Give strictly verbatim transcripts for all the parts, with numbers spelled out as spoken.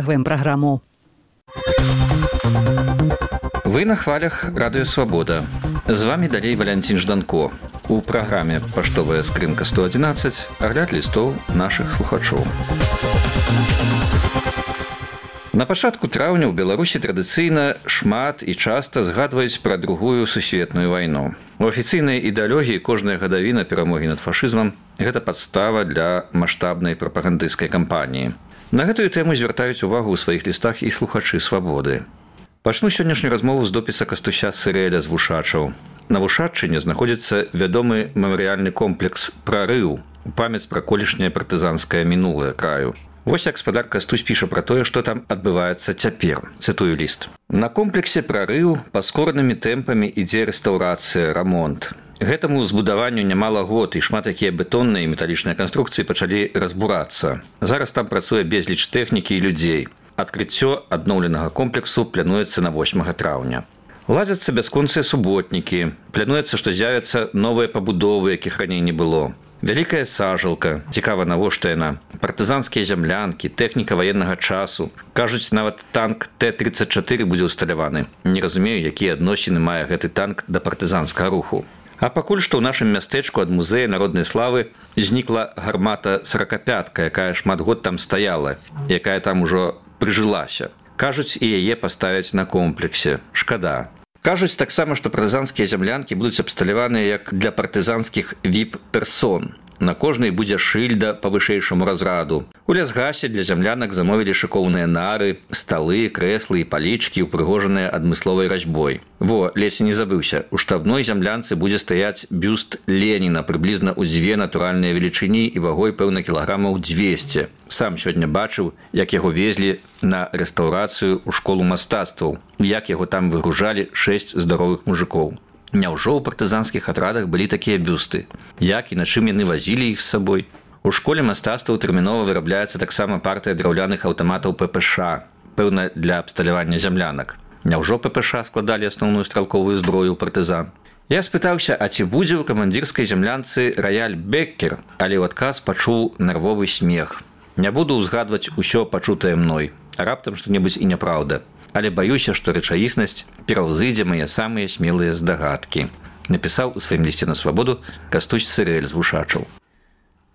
Программу. Вы на хвалях Радыё Свабода. З вами далей Валянцін Жданко. У праграме «Паштовая скрынка сто одиннадцать» агляд лістоў нашых слухачоў. На пачатку траўня ў Беларусі традыцыйна шмат і часта згадваюць пра другую сусветную вайну. У афіцыйнай ідэалогіі кожная гадавіна перамогі над фашызмам – гэта падстава для маштабнай прапагандысцкай кампаніі. На гэтую тэму звяртаюць увагу ў сваіх лістах і слухачы «Свабоды». Пачну сённяшнюю размову з допіса Кастуся Сырэля з Вушачаў. На Вушаччыне знаходзіцца вядомы мемарыяльны комплекс «Прарыў» у памяць пра колішняе партызанскае мінулае краю. Вось як гаспадар Кастусь піша пра тое, што там адбываецца цяпер. Цытую ліст. На комплексе «Прарыў» паскоранымі тэмпамі ідзе рэстаўрацыя, рамонт. Гэтаму збудаванню нямала год, і шмат якія бетонныя і металічныя канструкцыі пачалі разбурацца. Зараз там працуе безліч тэхнікі і людзей. Адкрыццё адноўленага комплексу плануецца на восьмага траўня. Ладзяцца бясконцыя суботнікі. Плануецца, што з'явяцца новыя пабудовы, якіх раней не было. Вялікая сажалка. Цікава, навошта яна. Партызанскія зямлянкі, тэхніка ваеннага часу. Кажуць, нават танк Т тридцать чатыры будзе ўсталяваны. Не разумею, якія адносіны мае гэты танк да партызанскага руху. А пакуль што ў нашым мястэчку ад музея народнай славы знікла гармата сорокапятка, якая шмат год там стаяла, якая там ужо прыжылася. Кажуць, і яе паставяць на комплексе. Шкада. Кажуць таксама, што партызанскія зямлянкі будуць абсталяваныя як для партызанскіх ви ай пі-персон. На кожнай будзе шыльда па вышэйшаму разраду. У лясгасе для зямлянак замовілі шыкоўныя нары, сталы, крэслы і палічкі, упрыгожаныя адмысловай разьбой. Во, ледзь не забыўся. У штабной зямлянцы будзе стаяць бюст Леніна прыблізна ў дзве натуральныя велічыні і вагой, пэўна, кілаграмаў дзвесце. Сам сёння бачыў, як яго везлі на рэстаўрацыю ў школу мастацтваў, як яго там выгружалі шэсць здаровых мужикоў. Няўжо ў партызанскіх атрадах былі такія бюсты? Як і на чым яны вазілі іх з сабой? У школе мастацтваў тэрмінова вырабляецца таксама партыя драўляных аўтаматаў пэ пэ ша, пэўна, для абсталявання зямлянак. Няўжо пэ пэ ша складалі асноўную стралковую зброю ў партызан? Я спытаўся, а ці будзе ў камандзірскай зямлянцы раяль Беккер, але ў адказ пачуў нервовы смех. Не буду ўзгадваць усё пачутае мной, а раптам што-небудзь і няпраўда. Але баюся, што рэчаіснасць пераўзыдзе мае самыя смелыя здагадкі, напісаў у сваім лісце на Свабоду Кастусь Сырэль з Вушачаў.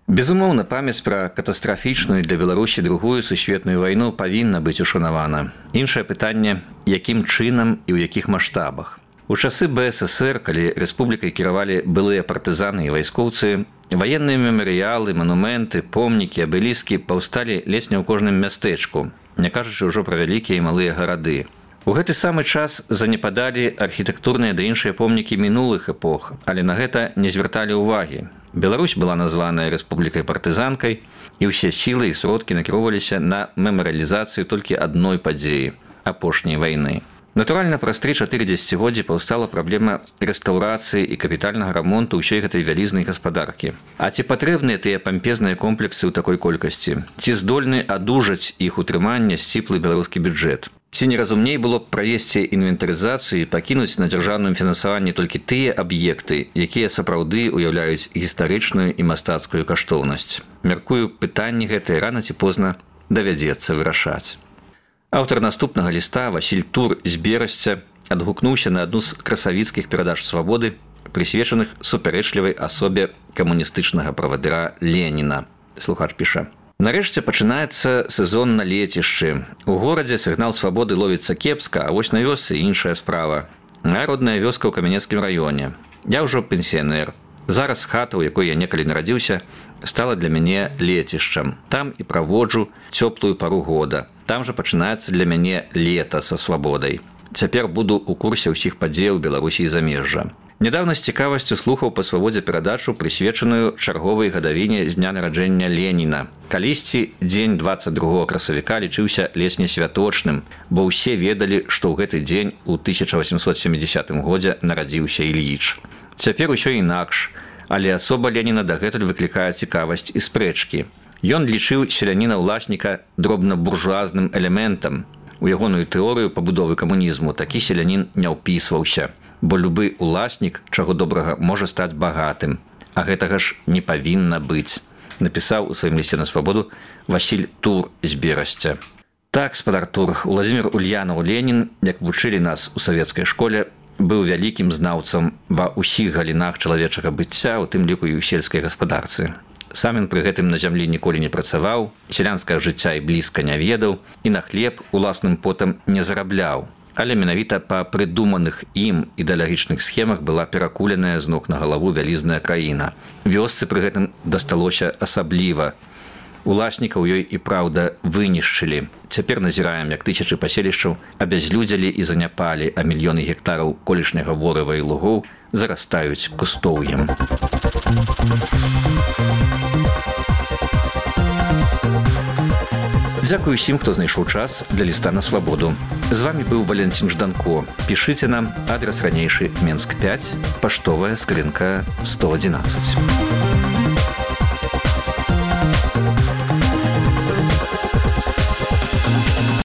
Безумоўна, памяць пра катастрафічную для Беларусі другую сусветную вайну павінна быць ушанавана. Іншае пытанне, якім чынам і ў якіх маштабах. У часы бэ эс эс ер, калі рэспублікай кіравалі былыя партызаны і вайскоўцы, ваенныя мемарыялы, манументы, помнікі, абеліскі паўсталі ледзь не ў кожным мястэчку, не кажучы ўжо пра вялікія і малыя гарады. У гэты самы час занепадалі архітэктурныя да іншыя помнікі мінулых эпох, але на гэта не звярталі ўвагі. Беларусь была названая рэспублікай-партызанкай, і ўсе сілы і сродкі накіроўваліся на мемарыялізацыю толькі адной падзеі – апошняй вайны. Натуральна, праз тры-чатыры дзесяцігоддзі паўстала праблема рэстаўрацыі і капітальнага рамонту ўсёй гэтай вялізнай гаспадаркі. А ці патрэбныя тыя пампезныя комплексы ў такой колькасці? Ці здольны адужаць іх утрымання сціплы беларускі бюджэт? Ці неразумней было б правесці інвентарызацыю і пакінуць на дзяржаўным фінансаванні толькі тыя аб'екты, якія сапраўды ўяўляюць гістарычную і мастацкую каштоўнасць? Мяркую, пытанні гэтыя рана ці позна давядзецца вырашаць. Аўтар наступнага ліста Васіль Тур з Берасця адгукнуўся на адну з красавіцкіх перадач Свабоды, прысвечаных супярэчлівай асобе камуністычнага правадыра Леніна. Слухач піша. Нарэшце пачынаецца сезон на лецішчы. У горадзе сігнал свабоды ловіцца кепска, а вось на вёсцы іншая справа. Моя родная вёска ў Камянецкім раёне. Я ўжо пенсіянер. Зараз хата, у якой я некалі нарадзіўся, стала для мяне лецішчам. Там і праводжу цёплую пару года. Там жа пачынаецца для мяне лета са свабодай. Цяпер буду ў курсе ўсіх падзеяў Беларусі і замежжа. Нядаўна з цікавасцю слухаў па Свабодзе перадачу, прысвечаную чарговай гадавіне з дня нараджэння Леніна. Калісьці дзень дваццаць другога красавіка лічыўся ледзь не святочным, бо ўсе ведалі, што ў гэты дзень у тысяча васемсот сямідзясятым годзе нарадзіўся Ільіч. Цяпер усё інакш, але асоба Леніна дагэтуль выклікае цікавасць і спрэчкі. Ён лічыў селяніна-ўласніка дробна-буржуазным элементам. У ягоную тэорыю пабудовы камунізму такі селянін не ўпісваўся, бо любы ўласнік, чаго добрага, можа стаць багатым, а гэтага ж не павінна быць, напісаў у сваім лісце на Свабоду Васіль Тур з Берасця. Так, спадар Артур, Уладзімір Ульянаў Ленін, як вучылі нас у савецкай школе, быў вялікім знаўцам ва ўсіх галінах чалавечага быцця, у тым ліку і ў сельскай гаспадарцы. Сам ён пры гэтым на зямлі ніколі не працаваў, сялянскага жыцця і блізка не ведаў, і на хлеб уласным потам не зарабляў. Але менавіта па прыдуманых ім ідэалагічных схемах была перакуленая з ног на галаву вялізная краіна. Вёсцы пры гэтым дасталося асабліва. Уласнікаў ёй і праўда вынішчылі. Цяпер назіраем, як тысячы паселішчаў абязлюдзялі і заняпалі, а мільёны гектараў колішняга ворыва і лугоў зарастаюць кустоўем. Дзякую усім, хто знайшоў час для ліста на свабоду. З вами быў Валентин Жданко. Пішыце нам, адрес ранейшы Менск пяць, паштовая скрынка сто адзінаццаць.